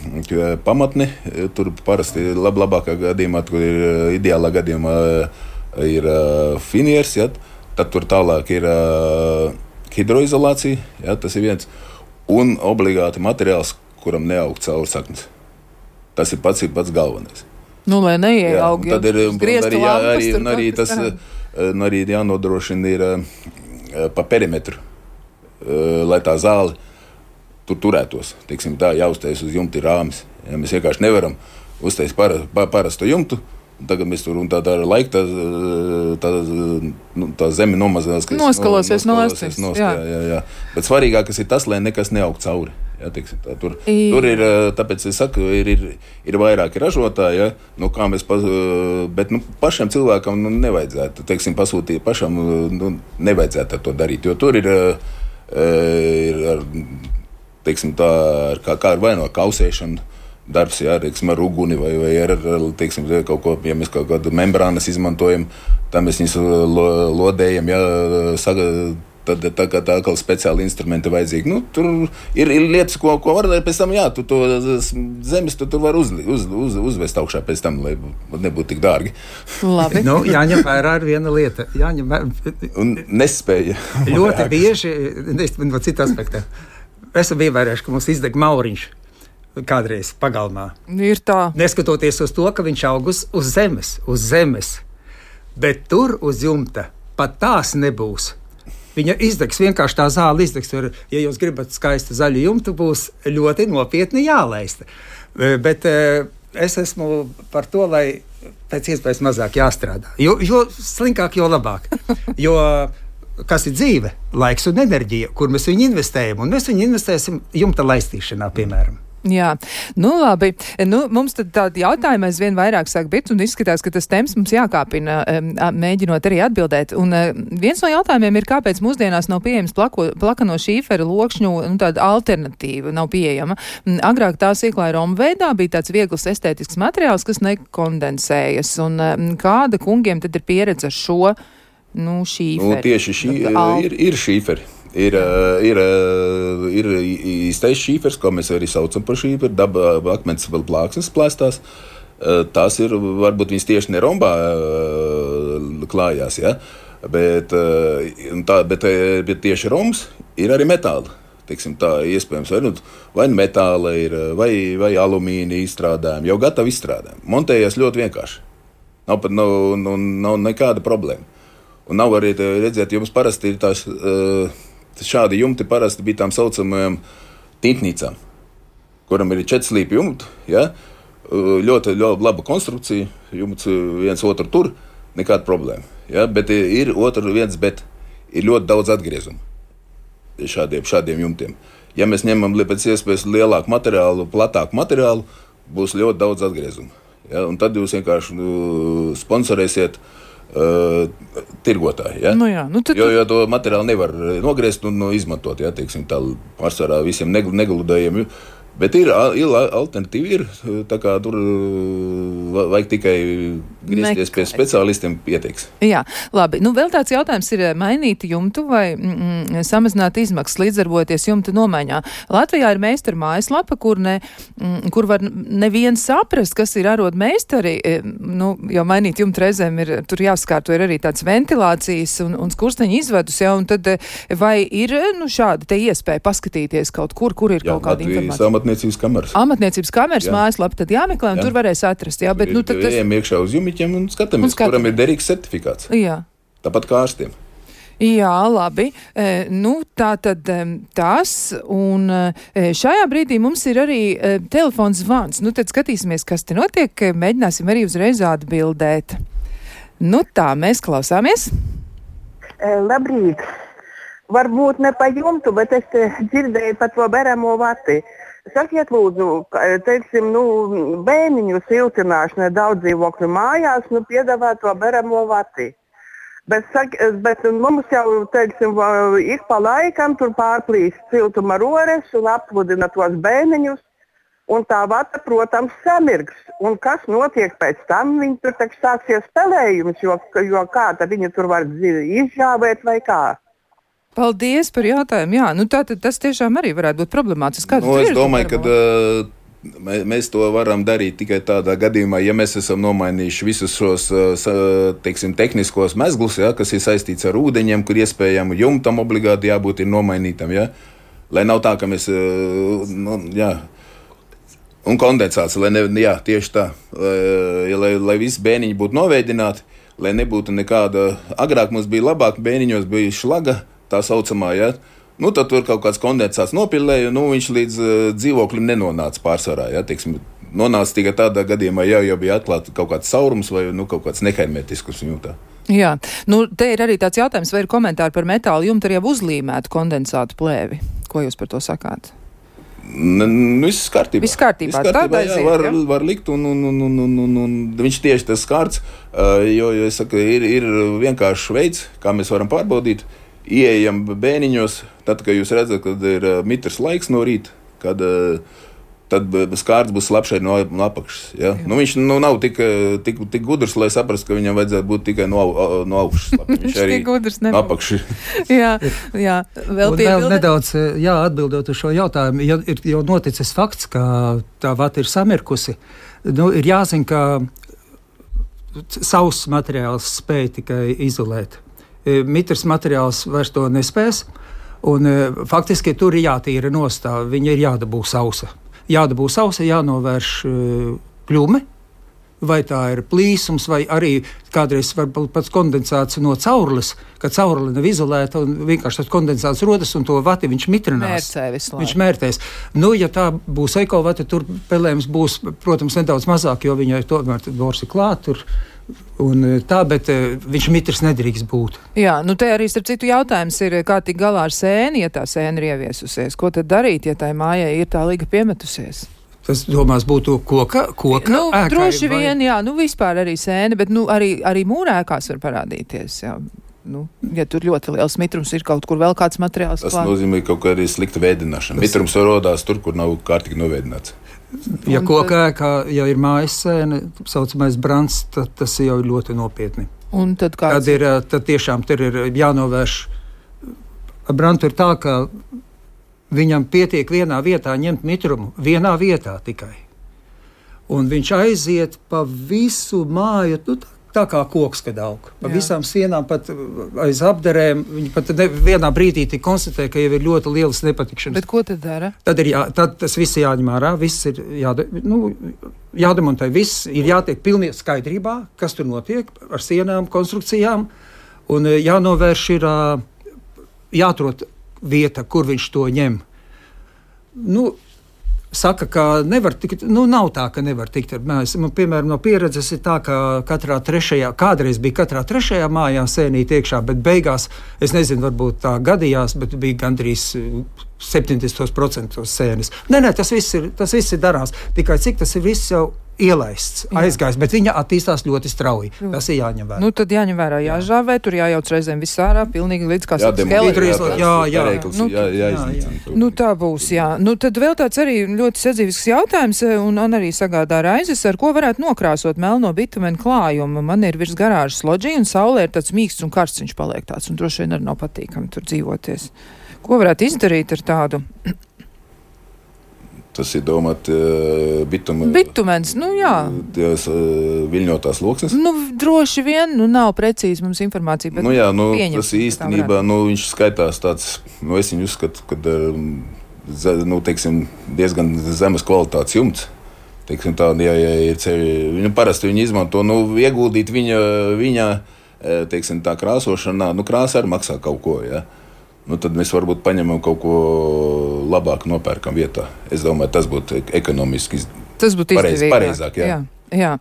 pamatni, tur parasti labākā gadījumā, tur ir ideālā gadījumā ir finieris, ja? Tad tur tālāk ir hidroizolācija, ja? Tas ir viens, un obligāti materiāls, kuram neaug caur saknes. Tas ir pats galvenais. Lai neieaug, tad ir arī jānodrošina ir pa perimetru, lai tā zāle tur turētos. Teiksim, tā jāuztais uz jumti rāmis. Ja? Mēs vienkārši nevaram uztais parastu jumtu, un tagad mēs tur, un tā ar laiku tā zeme nomazinās. Noskalosies no astes. Jā. Bet svarīgākas ir tas, lai nekas neaug cauri. Jā, teiksim, tur ir, tāpēc es saku, ir vairāki ražotāji, ja? Kā mēs, bet pašam cilvēkam nevajadzētu, teiksim, pasūtīt pašam, nevajadzētu to darīt, jo tur ir teiksim, tā, kā vai no kausēšana, darbs, jā, teiksim, ar uguni vai ar teiksim, kaut ko, ja mēs kaut kādu membrānas izmantojam, tā mēs viņus lodējam, jā, tad tā kā tā atkal speciāli instrumenti vajadzīgi. Tur ir lietas, ko var darīt pēc tam, jā, tu to zemes tu var uzvest augšā pēc tam, lai nebūtu tik dārgi. Labi. Jāņem vērā ar viena lieta. Un nespēja. Ļoti bieži, no cita aspekta, esam ievērējuši, ka mums izdeg mauriņš kādreiz pagalmā. Ir tā. Neskatoties uz to, ka viņš aug uz zemes. Bet tur uz jumta pat tās nebūs. Viņa izdegs, vienkārši tā zāle izdegs. Ja jūs gribat skaistu zaļu jumtu, būs ļoti nopietni jālaista. Bet es esmu par to, lai pēc iespējas mazāk jāstrādā. Jo slinkāk, jo labāk. Jo kas ir dzīve? Laiks un enerģija, kur mēs viņu investējam. Un mēs viņu investēsim jumta laistīšanā, piemēram. Jā, labi. Mums tad tādi jautājumi aizvien vairāk sāk būt, un izskatās, ka tas temps mums jākāpina, mēģinot arī atbildēt. Un viens no jautājumiem ir, kāpēc mūsdienās nav pieejams plakano šīferu lokšņu, tāda alternatīva nav pieejama. Agrāk tās ieklāja romu veidā, bija tāds viegls estētisks materiāls, kas nekondensējas. Un kāda kungiem tad ir pieredze ar šo, šīferi? Tieši ir šīferi. Ir īstais šīfers, ko mēs arī saucam par šīferi, daba akmens vēl plāksnes plēstās. Tās ir, varbūt viņas tieši ne rombā klājās, ja? Bet tieši rombs ir arī metāli. Teiksim, tā iespējams, vai metāla ir, vai alumīna izstrādājumi, jau gatavi izstrādājumi. Montējās ļoti vienkārši. Nav nekāda problēma. Un nav arī, redzēt, jums parasti ir tās... Šādi jumti parasti bija tām saucamajām tintnīcām, kuram ir 4 slīpi jumti, ja? Ļoti laba konstrukcija, jumts viens otru tur, nekāda problēma. Ja? Bet ir bet ir ļoti daudz atgriezumu šādiem jumtiem. Ja mēs ņemam pēc iespējas lielāku materiālu, platāku materiālu, būs ļoti daudz atgriezumu. Ja? Un tad jūs vienkārši sponsorēsiet tirgotāji, ja? Jo to materiālu nevar nogriezt un izmantot, ja, teiksim, tā pārsvarā visiem negludējiem, bet ir alternatīvi, tā kā tur vajag tikai griezties pie speciālistiem pieteiks. Jā, labi. Nu, vēl tāds jautājums ir mainīt jumtu vai samazināt izmaksas līdzdarboties jumta nomaiņā. Latvijā ir meistaru mājaslapa, kur var neviens saprast, kas ir arotmeistari. Nu, jo mainīt jumtu reizēm ir, tur jāskārto ir arī tāds ventilācijas un skursteņa izvedus, ja, un tad vai ir, šāda te iespēja paskatīties kaut kur ir kaut kāda informācija? Amatniecības kameras. Amatniecības kameras mājaslapa tad jāmeklē, un tur varēs atrast, jā, bet, tad ejam iekšā uz jumiķiem un skatāmies, kuram ir derīgs certifikāts. Jā. Tāpat kā ārstiem. Jā, labi. Tā tad tas, un šajā brīdī mums ir arī telefons zvans. Tad skatīsimies, kas te notiek, mēģināsim arī uzreiz atbildēt. Tā, mēs klausāmies. Labrīt. Varbūt ne pa jumtu, bet es dzirdēju par to beramo vati. Sakiet, lūdzu, teiksim, bēniņu siltināšanai daudz dzīvokļu mājās, piedāvā to beramo vati. Bet mums jau, teiksim, ik pa laikam tur pārplīst siltuma rores un apsludina tos bēniņus, un tā vata, protams, samirgs. Un kas notiek pēc tam? Viņi tur sāksies spēlējums, jo kā tad viņi tur var izžāvēt vai kā? Paldies par jautājumu. Jā, tātad tas tiešām arī varētu būt problemātiski. Es domāju, ka mēs to varam darīt tikai tādā gadījumā, ja mēs esam nomainījuši visus šos, teiksim, tehniskos mezglus, ja, kas ir saistīts ar ūdeņiem, kur iespējami jumtam obligāti jābūt ir nomainītam, ja, lai nav tā, ka mēs, un kondensāts, tieši tā, lai visi bēniņi būtu noveidināti, lai nebūtu nekāda, agrāk mums bija labāk, bēniņos bija šlaga, tā saucamā, ja? Tad tur kaut kāds kondensāts nopilēja, viņš līdz dzīvoklim nenonāca pārsvarā, ja? Teiksim, nonāca tikai tādā gadījumā, jau bija atklāta kaut kāds saurums vai kaut kāds nehermetisks jūtā. Jā, te ir arī tāds jautājums, vai ir komentāri par metālu jumtu arī uzlīmētu kondensātu plēvi. Ko jūs par to sakāt? Viss kārtībā. Viss kārtībā, var likt, un viņš tieši tas skārts, jo es saku, ir vienkāršs veids, kā mēs varam pārbaudīt. Ieejam bēniņos, tad, kad jūs redzat, kad ir mitrs laiks no rīta, tad skārts būs slapšai no apakšas. Ja? Viņš nav tik gudrs, lai saprastu, ka viņam vajadzētu būt tikai no augšas. Viņš arī no apakšas. jā. Vēl nedaudz, atbildot uz šo jautājumu, ja ir jau noticis fakts, ka tā vata ir samirkusi, ir jāzina, ka sauss materiāls spēj tikai izolēt. Mitrs materiāls vairs to nespēs, un faktiski tur ir jātīra nostāv, viņa ir jādabū sausa. Jānovērš kļume, vai tā ir plīsums, vai arī kādreiz var būt pats kondensāts no caurules, kad caurule nav izolēta, un vienkārši tas kondensāts rodas, un to vati viņš mitrinās. Viņš mērtēs. Ja tā būs ekovata, tur pelējums būs, protams, nedaudz mazāk, jo viņai tomēr bors ir klāt tur. Bet viņš mitrs nedrīkst būt. Jā, te arī starp citu jautājums ir, kā tik galā ar sēni, ja tā sēna ir ieviesusies. Ko tad darīt, ja tai mājai ir tā liga piemetusies? Tas, domās, būtu koka ēkai? Droši vien, jā, vispār arī sēna, bet arī mūrēkās var parādīties, jā. Ja tur ļoti liels mitrums ir kaut kur vēl kāds materiāls. Tas nozīmē kaut kā arī slikta vēdināšana. Mitrums rodās tur, kur nav kārtīgi novēdināts. Ja koka ēkā jau ir mājas sēne, saucamais brands, tad tas jau ir ļoti nopietni. Un tad kāds? Tad tiešām tur ir jānovērš. Brandu ir tā, ka viņam pietiek vienā vietā ņemt mitrumu, vienā vietā tikai. Un viņš aiziet pa visu māju, tā kā koks, kad aug. Pa visām sienām, pat aiz apderēm. Viņi pat vienā brīdī konstatē, ka jau ir ļoti lielas nepatikšanas. Bet ko tad dara? Tad tas viss jāņem ārā, viss ir jādemontē, viss ir jātiek pilnīgi skaidrībā, kas tur notiek ar sienām, konstrukcijām. Un jānovērš ir, jāatrod vieta, kur viņš to ņem. Saka, ka nevar tikt, nav tā, ka nevar tikt ar mājas. Piemēram, no pieredzes ir tā, ka kādreiz bija katrā trešajā mājā sēnīt iekšā, bet beigās, es nezinu, varbūt tā gadījās, bet bija gandrīz 70% sēnes. Nē, tas viss ir darāms. Tikai cik tas ir viss jau ielaists, aizgājis, bet viņa attīstās ļoti strauji. Tas ir jāņem vērā. Nu, tad jāņem vērā, jāžāvē, tur jājauc reizēm viss ārā, pilnīgi līdz kā skeleti. Nu, tā būs, jā. Nu, tad vēl tāds arī ļoti sadzīvisks jautājums, un arī sagādā raizes, ar ko varētu nokrāsot melno bitumenu klājumu. Man ir virs garāžas loģija, un saulē ir tāds mīksts un karsts viņš paliek tāds, un droši vien arī nav patīkami tur dzīvoties. Ko varētu izdarīt ar tādu? Tas ir domāt bitumens, nu jā. Tās viļņotās loksnes? Nu, droši vien, nav precīzi mums informācija, bet tas īstenībā, viņš skaitās tāds, es viņu uzskatu, kad, teiksim, diezgan zemes kvalitātes jumts. Teiksim tā, ja ir ceļi, parasti viņi izmanto, ieguldīt viņa, teiksim tā, krāsošanā, krāsa arī maksā kaut ko, ja. Tad mēs varbūt paņemam kaut ko labāk nopērkam vietā. Es domāju, tas būtu ekonomiski pareizāk. Jā.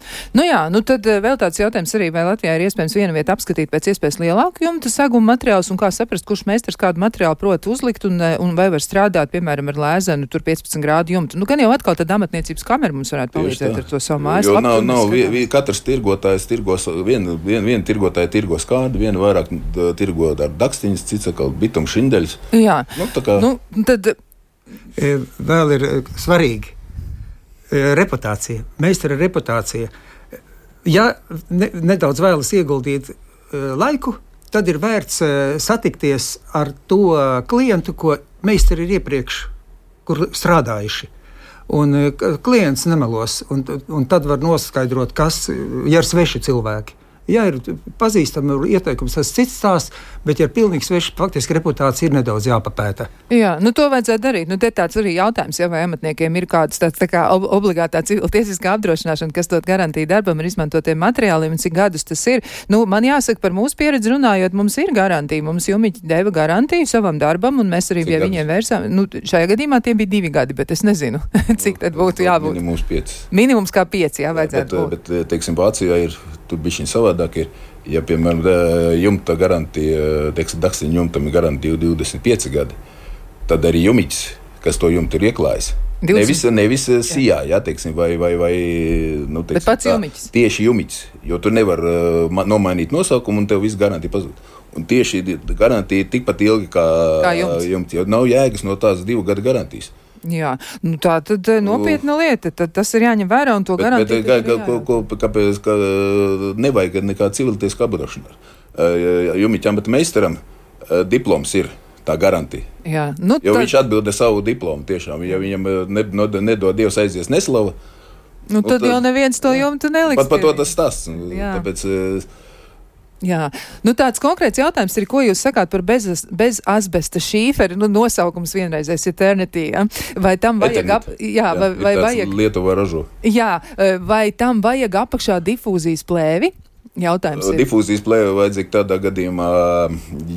Tad vēl tāds jautājums arī, vai Latvijā ir iespējams vienu vietu apskatīt pēc iespējas lielāku jumta seguma materiālus, un kā saprast, kurš meistars kādu materiālu prot uzlikt, un vai var strādāt, piemēram, ar lēzenu, tur 15 grādu jumtu. Gan jau atkal tad amatniecības kamera mums varētu palīdzēt ar to savu mājas labu. Katrs tirgotājs tirgos, viena tirgotāja tirgos kādu, viena vairāk tirgo ar dakstiņas, cits atkal bitumu šindeļus. Jā. Tad vēl ir svarīgi. Reputācija, meistara reputācija. Ja nedaudz vēlas ieguldīt laiku, tad ir vērts satikties ar to klientu, ko meistari ir iepriekš, kur strādājuši. Un klients nemelos, un tad var noskaidrot, kas ir sveši cilvēki. Ja ir pazīstami ieteikums, tas cits stāsts, bet ja ir pilnīgi sveši, faktiski reputācija ir nedaudz jāpapēta. Jā, to vajadzētu darīt. Te tāds arī jautājums, vai amatniekiem ir kāds tāds tā kā obligātā civiltiesiskā apdrošināšana, kas dot garantiju darbam ar izmantotiem materiāliem, un cik gadus tas ir. Man jāsaka, par mūsu pieredzi runājot, mums ir garantija. Mums jumiķi deva garantiju savam darbam, un mēs arī pie viņiem vērsām. Šajā gadījumā tie bija 2 gadi, bet es nezinu, cik tad būtu jābūt. Minimums 5. Minimums kā 5, vajadzētu būt. Bet, teiksim, Vācijā ir tur bišķiņ savādāk ir, ja, piemēram, jumta garantija, teiksim, dakstiņa jumtam ir garantija 25 gadi, tad arī jumiķis, kas to jumtu ir ieklājis. Nevis sijā, jā, teiksim, vai teiksim, bet pats jumiķis. Tieši jumiķis, jo tu nevar nomainīt nosaukumu un tev viss garantija pazūd. Un tieši garantija ir tikpat ilgi kā jumts, jo nav jēgas no tās 2 gadu garantijas. Jā, tā tad nopietna lieta, tad tas ir jāņem vērā un to garantiju. Kāpēc nevajag nekā civiltiesku apdrošināšanu? Jumiķam, bet meistaram diploms ir tā garantija. Jā, jo viņš atbilda savu diplomu tiešām. Ja viņam nedod Dievs aizies neslava, tad jau neviens to jumtu neliks. Pat to tas stāsts. Tāpēc... Jā, tāds konkrēts jautājums ir, ko jūs sakāt par bez asbesta šīferi, nosaukums vienreizais Eternity, ja? Vai tam vajag vajag Lietuvā ražo. Jā, vai tam vajag apakšā difūzijas plēvi? Jautājums ir. Difūzijas plēve vajadzīga tādā gadījumā,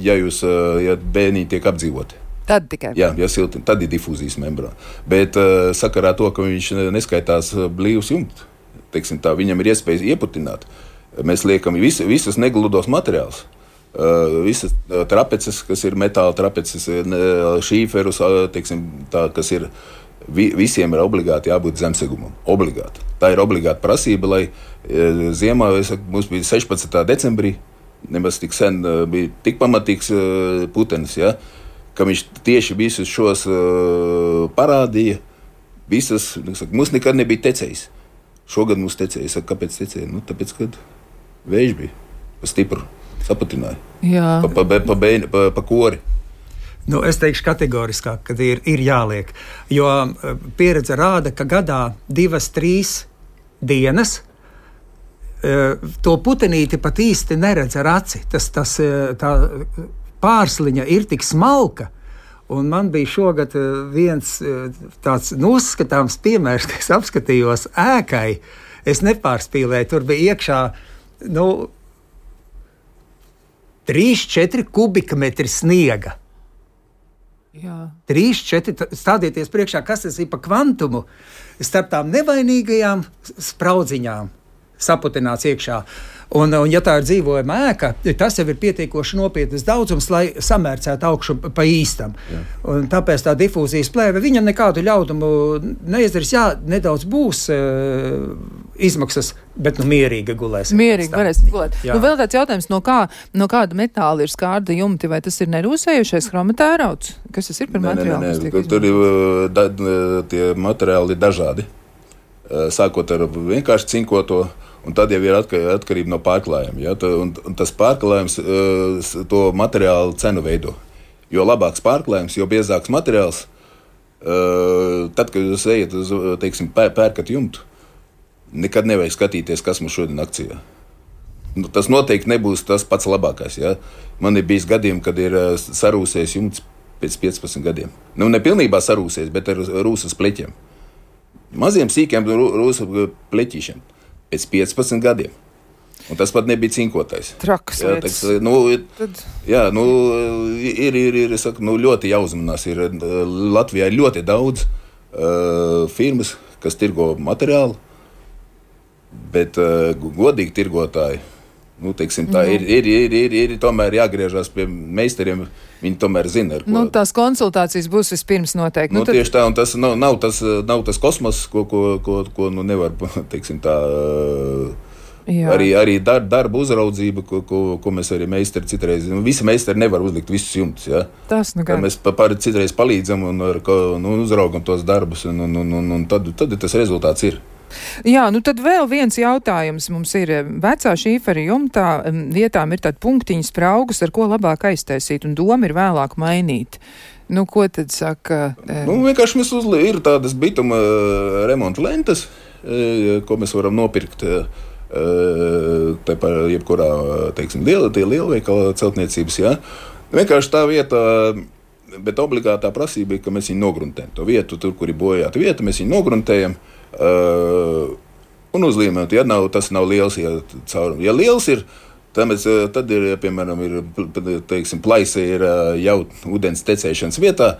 ja bērni tiek apdzīvoti. Tad tikai. Jā, ja silti, tad ir difūzijas membrāna. Bet sakarā to, ka viņš neskaitās blīvs jumts, teiksim tā, viņam ir iespējas ieputināt. Mēs liekam visus negludos materiālus, visas trapeces, kas ir metāla trapeces, šīferus, teiksim, tā, kas ir, visiem ir obligāti jābūt zemsegumam. Obligāti. Tā ir obligāta prasība, lai ziemā, mums bija 16. decembrī, nemaz tik sen bija tik pamatīgs putenis, ja, ka viņš tieši visus šos parādīja, visas, mums nekad nebija tecējis. Šogad mums tecēja. Es saku, kāpēc tecēja? Tāpēc, kad vējš bija pa stipru, sapatināja. Jā. Pa kori. Es teikšu kategoriskāk, kad ir jāliek, jo pieredze rāda, ka gadā 2-3 dienas to putenīti pat īsti neredz ar aci. Tā pārsliņa ir tik smalka. Un man bija šogad viens tāds uzskatāms piemērs, ka es apskatījos ēkai. Es nepārspīlēju, tur bija iekšā 3-4 kubikmetri sniega. Jā. 3-4, stādieties priekšā, kas tas ir pa kvantumu starp tām nevainīgajām spraudziņām. saputināts iekšā. Un, ja tā ir dzīvojama ēka, tas jau ir pietiekoši nopietnas daudzums, lai samērcētu augšu pa īstam. Un tāpēc tā difūzijas plēve, viņa nekādu ļaudumu neizdarīs. Jā, nedaudz būs izmaksas, bet mierīgi gulēs. Mierīgi varēs gulēt. Nu, vēl tāds jautājums, no kāda metāla ir skārda jumti, vai tas ir nerūsējušais chromatērauds? Kas tas ir par materiālu? Tur ir tie materiāli dažādi. Sākot ar vienkārši cinkoto, un tad jau ir atkarība no pārklājuma. Ja? Un tas pārklājums to materiālu cenu veido. Jo labāks pārklājums, jo biezāks materiāls, tad, kad jūs ejat uz, teiksim, pērkat jumtu, nekad nevajag skatīties, kas mums šodien akcijā. Nu, tas noteikti nebūs tas pats labākais. Ja? Man ir bijis gadījumi, kad ir sarūsies jumts pēc 15 gadiem. Nu, ne pilnībā sarūsies, bet ar rūsas pleķiem. Maziem sīkiem rūsa pleķīšiem. Pēc 15 gadiem. Un tas pat nebija cinkotais. Traks lietas. Ir saku, ļoti jāuzmanās. Ir Latvijā ļoti daudz firmas, kas tirgo materiālu, bet godīgi tirgotāji, teiksim, tā ir tomēr jāgriežās pie meistariem. Viņi tomēr zina, ar ko. Tās konsultācijas būs vispirms noteikti. Tieši tā, un tas nav tas kosmos, ko nevar, teiksim, tā. Arī darba uzraudzība, ko mēs arī meistari citreiz. Visi meistari nevar uzlikt visus jumtus. Ja? Tas mēs citreiz palīdzam un uzraugam tos darbus, un tad tas rezultāts ir. Jā, tad vēl viens jautājums mums ir. Vecā šīfera jumtā vietām ir tādi punktiņi spraugas, ar ko labāk aiztaisīt, un doma ir vēlāk mainīt. Ko tad saka? Vienkārši ir tādas bituma remonta lentas, ko mēs varam nopirkt jebkurā, teiksim, lielveikala celtniecības, jā. Vienkārši tā vieta, bet obligātā prasība ir, ka mēs viņu nogruntējam. To vietu, tur, kur ir bojāta vieta, mēs viņu nogruntējam. Un uzlīmēt, tas nav liels, ja liels ir, tad ir, piemēram, teiksim, plaisa ir jau ūdens tecēšanas vietā,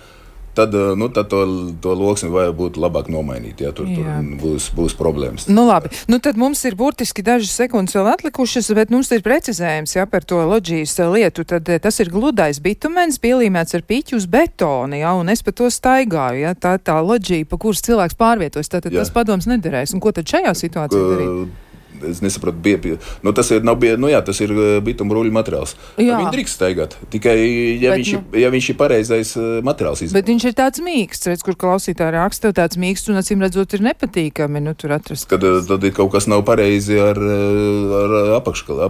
tad to loksni vajag būt labāk nomainīt, ja tur būs problēmas. Labi, tad mums ir burtiski dažas sekundes vēl atlikušas, bet mums ir precizējums, par to loģijas lietu, tad tas ir gludais bitumens, pielīmēts ar piķu uz betoni, un es pa to staigāju, tā loģija, pa kuras cilvēks pārvietojas, tad tas padoms nederēs, un ko tad šajā situācijā darīt? Es nesaprotu, tas ir bituma ruļu materiāls. Viņi drīkst staigāt, tikai ja viņš ir pareizais materiāls izvēlēt. Bet viņš ir tāds mīksts, redz, kur klausītāji raksta, tāds mīksts un acīm redzot ir nepatīkami, tur atrast. Tad ir kaut kas nav pareizi ar apakškalu,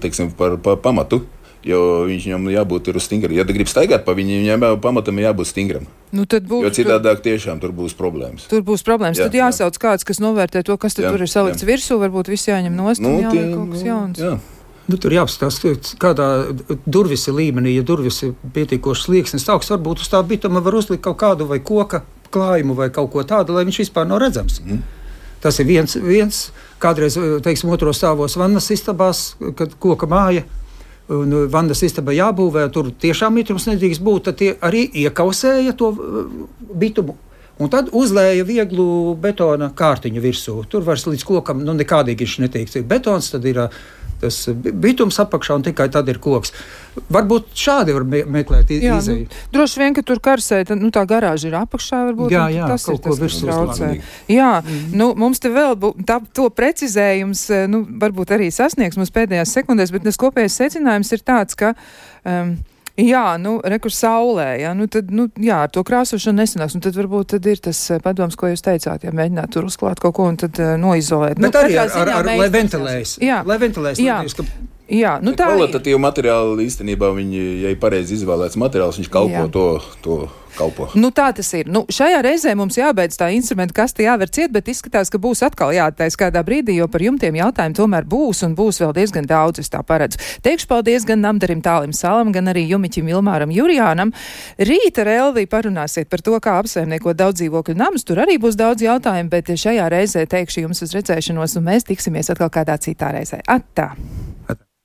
teiksim, par pamatu. Jo viņam jābūt uz stingram. Ja grib staigāt pa viņam pamatam jābūt stingram. Jo citādāk tiešām tur būs problēmas. Tur būs problēmas. Tad jāsauc kāds, kas novērtē to, kas tur ir salikts virsū, varbūt viss jāņem nost un jāliek kaut kas jauns. Jā. Tur jāapstāst, kādā durvis ir līmenī, ja durvis ir pietiekoši slieksnis augsts, varbūt uz tā bituma var uzlikt kaut kādu vai koka klājumu vai kaut ko tādu, lai viņš vispār nav redzams. Tas ir viens kādreiz, teiksim, otros stāvos vannas istabās, kad koka māja. Un vannas istaba jābūvē, tur tiešām mitrums nedrīkst būt, tad tie arī iekausēja to bitumu. Un tad uzlēja vieglu betona kārtiņu virsū. Tur vairs līdz kokam nekādīgi viņš netiek. Betons, tad ir tas bitums apakšā un tikai tad ir koks. Varbūt šādi var meklēt izēju. Droši vien, ka tur karsē, tā garāža ir apakšā, varbūt. Jā, tas kaut ir ko tas, kas traucē. Jā, mums te vēl to precizējums, varbūt arī sasniegs mums pēdējās sekundēs, bet tas kopējais secinājums ir tāds, ka rekur saulē, tad, ar to krāsošanu nesanāks, un tad varbūt tad ir tas padoms, ko jūs teicāt, mēģināt tur uzklāt kaut ko un tad noizolēt. Bet arī lai ventilējas. Lai ventilējas. Kvalitatīvu materiālu īstenībā viņi, ja ir pareizi izvēlēts materiāls, viņš kalpo to kalpo. Tā tas ir. Šajā reizē mums jābeidz tā instrumenta kaste jāver ciet, bet izskatās, ka būs atkal jāattais kādā brīdī, jo par jumtiem jautājumu tomēr būs un būs vēl diezgan daudz, es tā paredzu. Teikšu paldies gan Namdarim Tālim Salam, gan arī Jumiķim Ilmāram Jurijānam. Rīt ar Elviju parunāsiet par to, kā apsaimniekot daudz dzīvokļu namus. Tur arī būs daudz jautājumu, bet šajā reizē teikšu jums uz redzēšanos, un mēs tiksimies atkal kādā citā reizē. Attā!